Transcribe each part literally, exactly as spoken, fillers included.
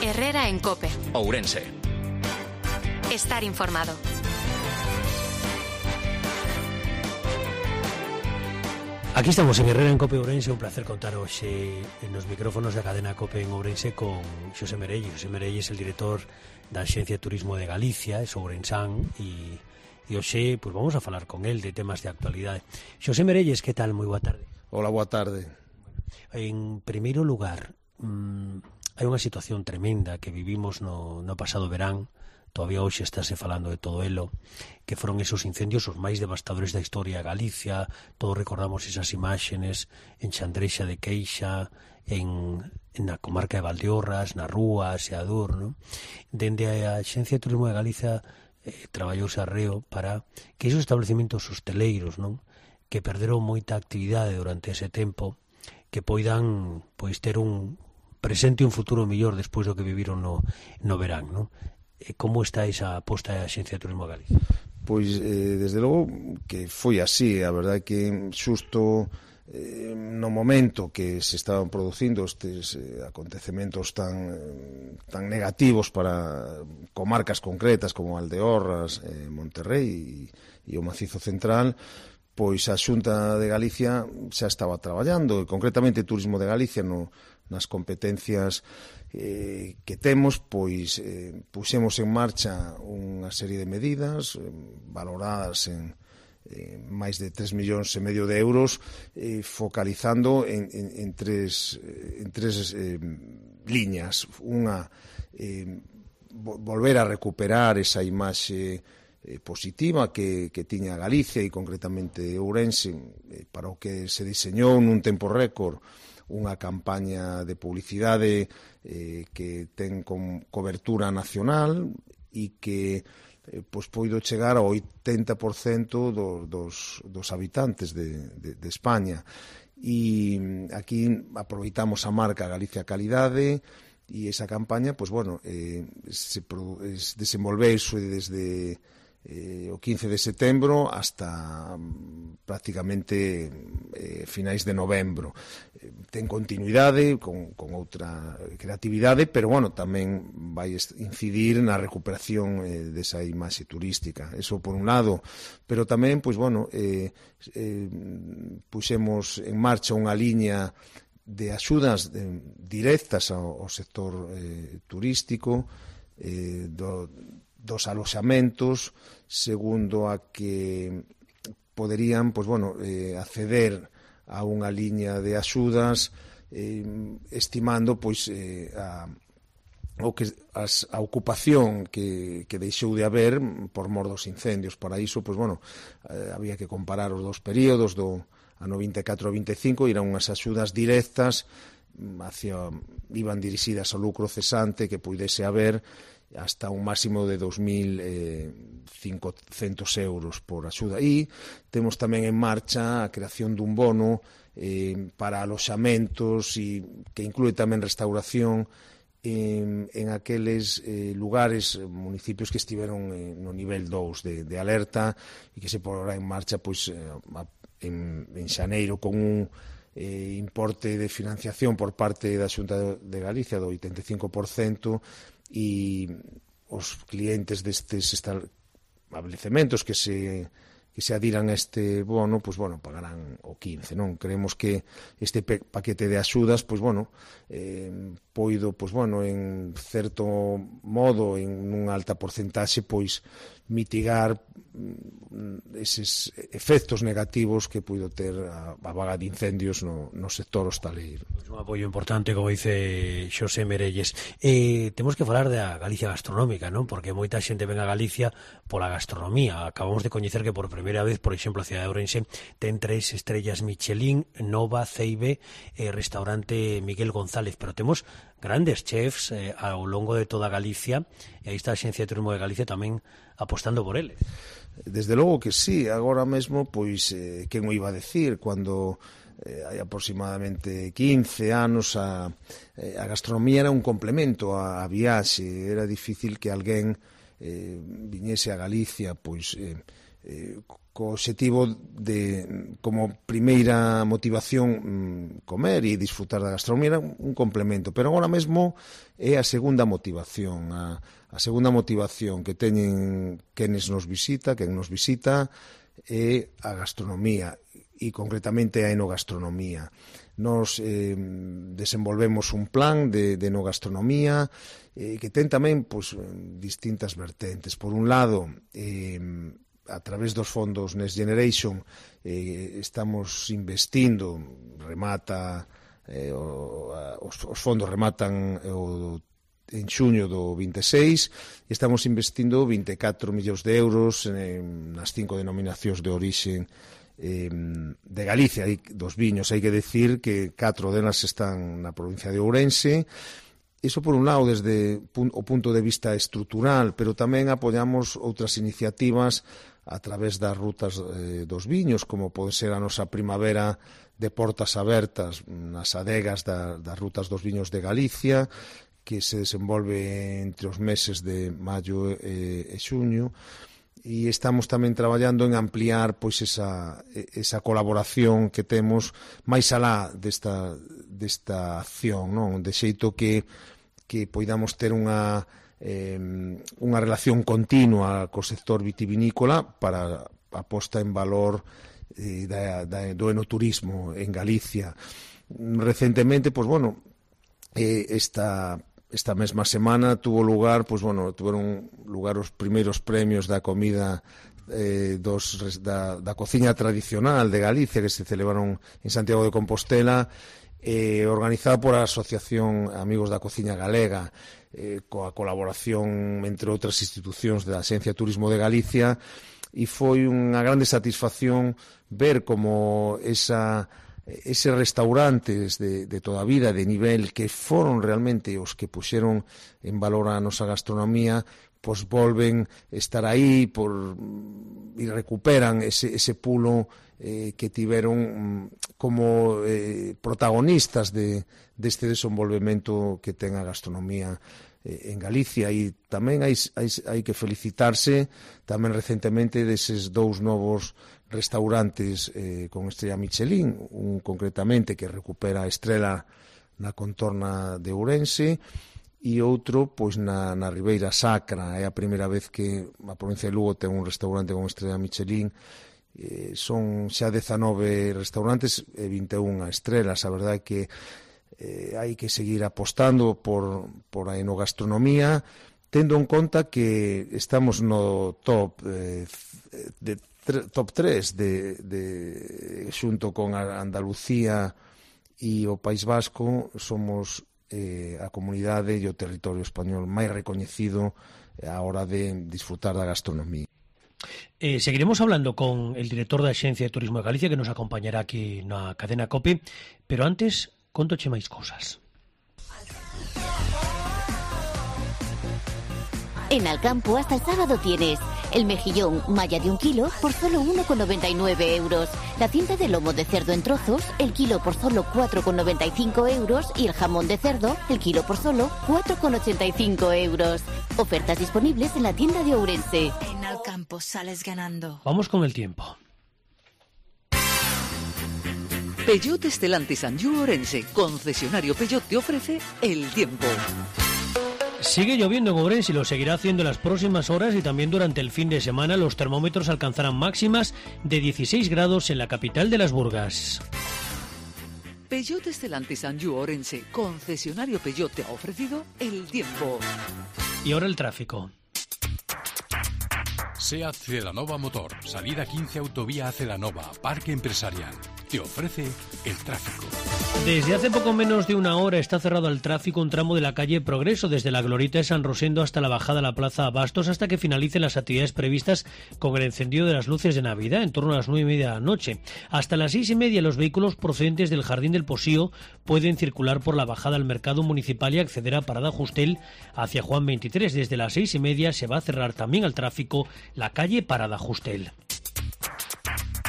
Herrera en COPE. Ourense. Estar informado. Aquí estamos en Herrera en COPE Ourense, un placer contar hoxe nos micrófonos da cadena COPE en Ourense con Xosé Merelles. Xosé Merelles é el director da Axencia de Turismo de Galicia, é ourensán, e, e hoxe pues, vamos a falar con el de temas de actualidade. Xosé Merelles, que tal? Moi boa tarde. Hola, boa tarde. En primeiro lugar, mmm, hai unha situación tremenda que vivimos no, no pasado verán. Todavía hoxe estáse falando de todo elo, que foron esos incendios os máis devastadores da historia de Galicia. Todos recordamos esas imágenes en Chandrexa de Queixa, en, en na comarca de Valdeorras, na Rúa, Seadur, non? Dende a Axencia de Turismo de Galicia eh, traballouse arreo para que esos establecementos hosteleiros, non, que perderon moita actividade durante ese tempo, que poidan pois ter un presente e un futuro mellor despois do que viviron no, no verán, non? Como está esa aposta da Axencia de Turismo de Galicia? Pois, eh, desde logo, que foi así. A verdade é que xusto eh, no momento que se estaban producindo estes eh, acontecementos tan, eh, tan negativos para comarcas concretas como Valdeorras, eh, Monterrey e, e o Macizo Central, pois a Xunta de Galicia xa estaba traballando, e concretamente Turismo de Galicia no, nas competencias eh, que temos, pois eh, puxemos en marcha unha serie de medidas eh, valoradas en eh, máis de tres millóns e medio de euros, eh, focalizando en, en, en tres, en tres eh, liñas. Unha, eh, volver a recuperar esa imaxe eh, positiva que, que tiña Galicia e concretamente Ourense, eh, para o que se diseñou nun tempo récord unha campaña de publicidade eh, que ten con cobertura nacional e que eh, pois poido chegar ao oitenta por cento do, dos, dos habitantes de, de, de España. E aquí aproveitamos a marca Galicia Calidade e esa campaña, pois bueno, eh, se es, desenvolveuse desde Eh, o quince de setembro hasta um, prácticamente eh, finais de novembro. Eh, ten continuidade con, con outra creatividade, pero bueno, tamén vai incidir na recuperación eh, desa imaxe turística. Eso por un lado, pero tamén, pois bueno, eh, eh, puxemos en marcha unha liña de axudas de, directas ao, ao sector eh, turístico, eh, do dos aloxamentos, segundo a que poderían, pois bueno, eh, acceder a unha liña de axudas, eh, estimando pois eh, a o que as, a ocupación que, que deixou de haber por mor dos incendios. Para iso, pois bueno, eh, había que comparar os dos períodos do ano vinte e catro a vinte e cinco, eran unhas axudas directas hacia, iban dirixidas ao lucro cesante que puidese haber hasta un máximo de dos mil cincocentos euros por axuda. E temos tamén en marcha a creación dun bono eh, para aloxamentos e que inclúe tamén restauración en, en aqueles eh, lugares, municipios que estiveron eh, no nivel dous de, de alerta e que se porá en marcha pois, eh, en, en xaneiro con un eh, importe de financiación por parte da Xunta de Galicia do oitenta e cinco por cento, e os clientes destes establecementos que se que se adiran a este bono, pois bueno, pagarán o quince, non? Creemos que este paquete de axudas, pois bueno, eh, poido, pois bueno, en certo modo, en unha alta porcentaxe, pois mitigar eses efectos negativos que puido ter a, a vaga de incendios no, no sector hostaleiro. Un apoio importante, como dice Xosé Merelles. Eh, temos que falar da Galicia gastronómica, non? Porque moita xente ven a Galicia pola gastronomía. Acabamos de coñecer que por primeira vez, por exemplo, a cidade de Ourense ten tres estrellas Michelin, Nova, Ceibe, eh, restaurante Miguel González, pero temos grandes chefs eh, ao longo de toda Galicia, e aí está a Axencia de Turismo de Galicia tamén apostando por eles. Desde logo que sí, agora mesmo, pois, eh, quen o iba a decir, cando eh, hai aproximadamente quince anos a, eh, a gastronomía era un complemento á, á viaxe, era difícil que alguén eh, viñese a Galicia, pois, eh, eh, co obxectivo de, como primeira motivación, comer e disfrutar da gastronomía, era un complemento, pero agora mesmo é a segunda motivación, a, a segunda motivación que teñen quenes nos visita, quen nos visita, é a gastronomía, e concretamente a enogastronomía. Nos eh, desenvolvemos un plan de, de enogastronomía eh, que ten tamén pues, distintas vertentes. Por un lado, eh, a través dos fondos Next Generation eh, estamos investindo, remata eh, o, a, os, os fondos rematan o, en xuño do vinte e seis, e estamos investindo vinte e catro millóns de euros en, nas cinco denominacións de orixe eh, de Galicia, hai dos viños. Hai que decir que catro delas están na provincia de Ourense. Iso por un lado desde o punto de vista estrutural, pero tamén apoiamos outras iniciativas a través das rutas eh, dos viños, como pode ser a nosa primavera de portas abertas nas adegas da, das rutas dos viños de Galicia, que se desenvolve entre os meses de maio e, e xuño, e estamos tamén traballando en ampliar pois esa, esa colaboración que temos máis alá desta, desta acción, non? De xeito que, que poidamos ter unha Eh, unha relación continua co sector vitivinícola para a posta en valor eh, da, da, do enoturismo en Galicia. Recentemente, pues bueno, eh, esta, esta mesma semana tuvo lugar, pues bueno, tuveron lugar os primeiros premios da comida eh, dos, da, da cociña tradicional de Galicia, que se celebraron en Santiago de Compostela, eh, organizada por a Asociación Amigos da Cociña Galega, eh, coa colaboración entre outras institucións da Axencia de Turismo de Galicia, e foi unha grande satisfacción ver como esa, eses restaurantes de, de toda a vida, de nivel, que foron realmente os que puxeron en valor a nosa gastronomía, pois volven estar aí por, e recuperan ese, ese pulo eh, que tiveron como eh, protagonistas de, deste desenvolvemento que ten a gastronomía eh, en Galicia. E tamén hai, hai, hai que felicitarse tamén recentemente deses dous novos restaurantes eh, con estrella Michelin, un concretamente que recupera a estrela na contorna de Ourense, e outro pois na, na Ribeira Sacra. É a primeira vez que a provincia de Lugo ten un restaurante con estrela Michelin. Eh, son xa dezanove restaurantes e vinte e unha estrelas. A verdade é que eh, hai que seguir apostando por, por a enogastronomía, tendo en conta que estamos no top eh, de, top tres de, de, xunto con a Andalucía e o País Vasco, somos eh, a comunidade e o territorio español máis recoñecido a hora de disfrutar da gastronomía. Eh, seguiremos hablando con el director da Axencia de Turismo de Galicia, que nos acompañará aquí na cadena COPE, pero antes, contoche máis cosas. En Alcampo hasta el sábado tienes el mejillón malla de un kilo por solo uno con noventa y nueve euros, la cinta de lomo de cerdo en trozos, el kilo por solo cuatro con noventa y cinco euros y el jamón de cerdo, el kilo por solo cuatro con ochenta y cinco euros. Ofertas disponibles en la tienda de Ourense. En Alcampo sales ganando. Vamos con el tiempo. Peugeot Stellantis Anjou Ourense, concesionario Peugeot, te ofrece el tiempo. Sigue lloviendo en Ourense y lo seguirá haciendo en las próximas horas, y también durante el fin de semana los termómetros alcanzarán máximas de dieciséis grados en la capital de las Burgas. Peugeot Stellantis Anjou Ourense, concesionario Peugeot, te ha ofrecido el tiempo. Y ahora el tráfico. SEAT Celanova Motor, salida quince Autovía a Celanova, Parque Empresarial. Te ofrece el tráfico. Desde hace poco menos de una hora está cerrado al tráfico un tramo de la calle Progreso, desde la Glorieta de San Rosendo hasta la bajada a la Plaza Abastos, hasta que finalicen las actividades previstas con el encendido de las luces de Navidad en torno a las nueve y media de la noche. Hasta las seis y media los vehículos procedentes del Jardín del Posío pueden circular por la bajada al Mercado Municipal y acceder a Parada Justel hacia Juan veintitrés. Desde las seis y media se va a cerrar también al tráfico la calle Parada Justel.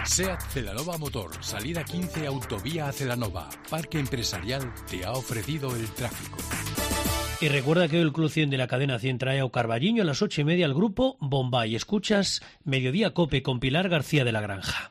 SEAT Celanova Motor, salida quince Autovía a Celanova, Parque Empresarial, te ha ofrecido el tráfico. Y recuerda que hoy el Club cien de la cadena cien trae a Carballiño a las ocho y media al grupo Bombay. Escuchas Mediodía Cope con Pilar García de la Granja.